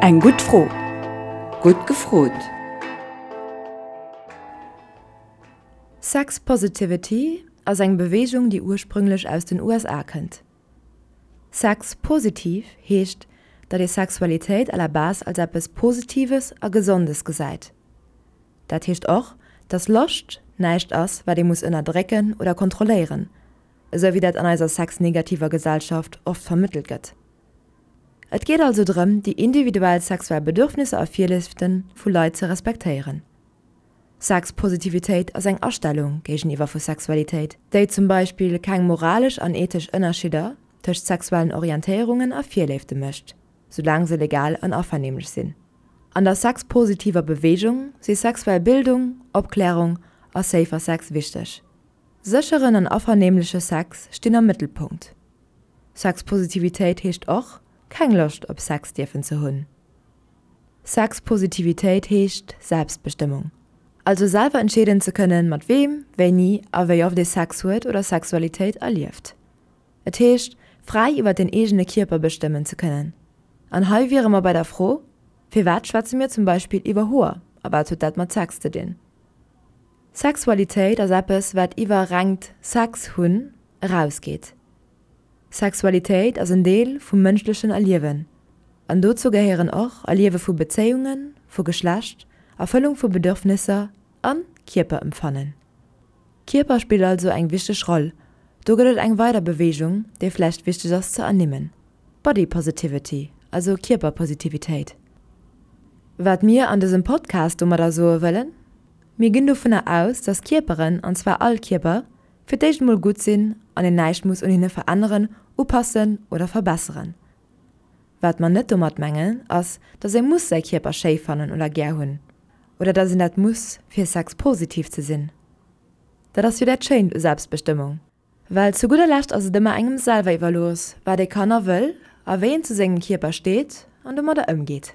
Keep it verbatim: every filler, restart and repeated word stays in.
Eng gutt Fro. Gutt gefrot! Sex Positivity ass eng Beweegung, déi ursprünglech aus den U S A kënnt. Sex positiv heescht, datt ee Sexualitéit à la base als eppes Positives a Gesondes gesäit. Dat heescht och, datt Loscht näischt ass, wat ee muss ënnerdrécken oder kontrolléieren, esou wéi dat an eiser sexnegativer Gesellschaft oft vermëttelt gëtt. Et geet also drëm, déi individuell sexuell Bedürfnisser a Virléifte vu Leit ze respektéieren. Sexpositivitéit ass eng Astellung géigeniwwer vu Sexualitéit, déi zum Beispill keng moralesch an ethesch Ënnerscheeder tëscht sexuellen Orientéierungen a Virléifte mécht, soulaang se legal an avernehmlech sinn. An der sexpositiver Beweegung si sexuell Bildung, Opklärung a safer Sex wichteg. Sécheren an avernehmleche Sex stinn am Mëttelpunkt. Sexpositivitéit heescht och, keng Loscht op Sex dierfen ze hunn. Sexpositivitéit heescht Selbstbestëmmung. Also selwer entscheeden ze kënnen, mat weem, wéini a wéi oft ee Sex huet oder Sexualitéit erlieft. Et heescht, fräi iwwer den eegene Kierper bestëmmen ze kënnen. An hei wiere mer bei der Fro, Firwat schwätze mir zum Beispill iwwer Hoer a wat huet dat mat Sex ze dinn? Sexualitéit ass eppes, wat iwwer rengt Sex hunn erausgeet. Sexualitéit ass en Deel vum mënschlechen Erliewen. An dozou gehéieren och Erliewe vu Bezéiungen, vu Geschlecht, Erfëllung vu Bedürfnisser a Kierperempfannen. Kierper spillt also eng wichteg Roll. Do gëtt et eng weider Beweegung, déi vläicht wichteg ass ze ernimmen, Body Positivity, also Kierperpositivitéit. Wat mir an dësem Podcast domadder soe wëllen? Mir ginn dovunner aus, dass Kierperen, an zwar all Kierper, fir d'éischt emol gutt sinn an een näischt muss un hinne veränneren, upassen oder verbesseren. Wat mer net domat mengen, ass, dass ee muss säi Kierper schéi fannen oder gär hunn. Oder dass een dat muss, fir sexpositiv ze sinn. Dat ass jo dat Schéint u Selbstbestëmmung. Well zu gudder Lescht ass et ëmmer engem selwer iwwerlooss, wat ee kann a wëll a wéi een zu sengem Kierper steet an domadder ëmgeet.